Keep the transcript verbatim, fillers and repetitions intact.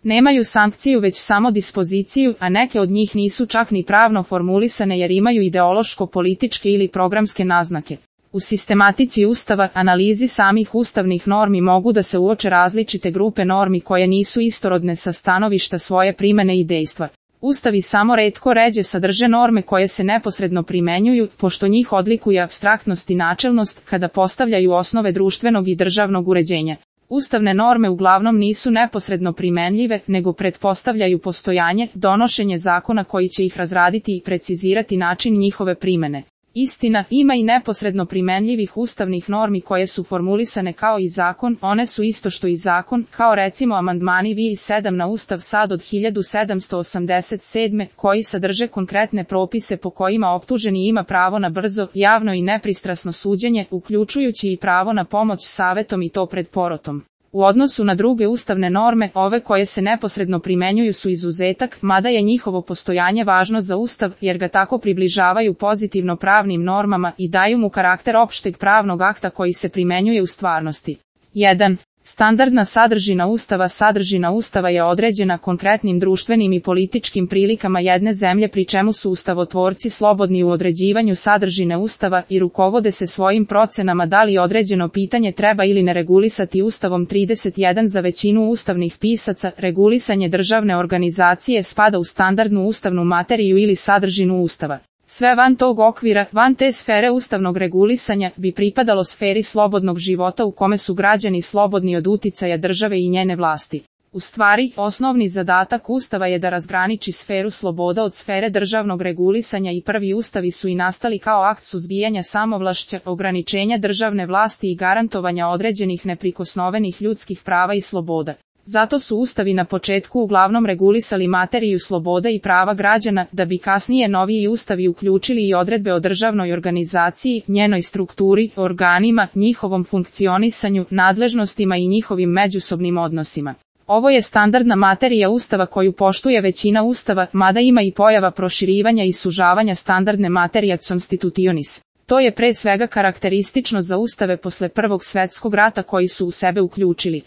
Nemaju sankciju već samo dispoziciju, a neke od njih nisu čak ni pravno formulisane jer imaju ideološko-političke ili programske naznake. U sistematici Ustava, analizi samih ustavnih normi mogu da se uoče različite grupe normi koje nisu istorodne sa stanovišta svoje primene i dejstva. Ustavi samo retko ređe sadrže norme koje se neposredno primenjuju, pošto njih odlikuje apstraktnost i načelnost kada postavljaju osnove društvenog i državnog uređenja. Ustavne norme uglavnom nisu neposredno primenljive, nego pretpostavljaju postojanje, donošenje zakona koji će ih razraditi i precizirati način njihove primene. Istina, ima i neposredno primenljivih ustavnih normi koje su formulisane kao i zakon, one su isto što i zakon, kao recimo amandmani V I sedam na Ustav SAD od hiljadu sedamsto osamdeset sedme, koji sadrže konkretne propise po kojima optuženi ima pravo na brzo, javno i nepristrasno suđenje, uključujući i pravo na pomoć savetom i to pred porotom. U odnosu na druge ustavne norme, ove koje se neposredno primenjuju su izuzetak, mada je njihovo postojanje važno za Ustav, jer ga tako približavaju pozitivno pravnim normama i daju mu karakter opšteg pravnog akta koji se primenjuje u stvarnosti. jedan. Standardna sadržina Ustava. Sadržina Ustava je određena konkretnim društvenim i političkim prilikama jedne zemlje, pri čemu su ustavotvorci slobodni u određivanju sadržine Ustava i rukovode se svojim procenama da li određeno pitanje treba ili ne regulisati Ustavom. trideset jedan Za većinu ustavnih pisaca, regulisanje državne organizacije spada u standardnu ustavnu materiju ili sadržinu Ustava. Sve van tog okvira, van te sfere ustavnog regulisanja, bi pripadalo sferi slobodnog života u kome su građani slobodni od uticaja države i njene vlasti. U stvari, osnovni zadatak Ustava je da razgraniči sferu sloboda od sfere državnog regulisanja i prvi ustavi su i nastali kao akt suzbijanja samovlašća, ograničenja državne vlasti i garantovanja određenih neprikosnovenih ljudskih prava i sloboda. Zato su ustavi na početku uglavnom regulisali materiju sloboda i prava građana, da bi kasnije noviji ustavi uključili i odredbe o državnoj organizaciji, njenoj strukturi, organima, njihovom funkcionisanju, nadležnostima i njihovim međusobnim odnosima. Ovo je standardna materija Ustava koju poštuje većina Ustava, mada ima i pojava proširivanja i sužavanja standardne materia constitutionis. To je pre svega karakteristično za ustave posle Prvog svetskog rata koji su u sebe uključili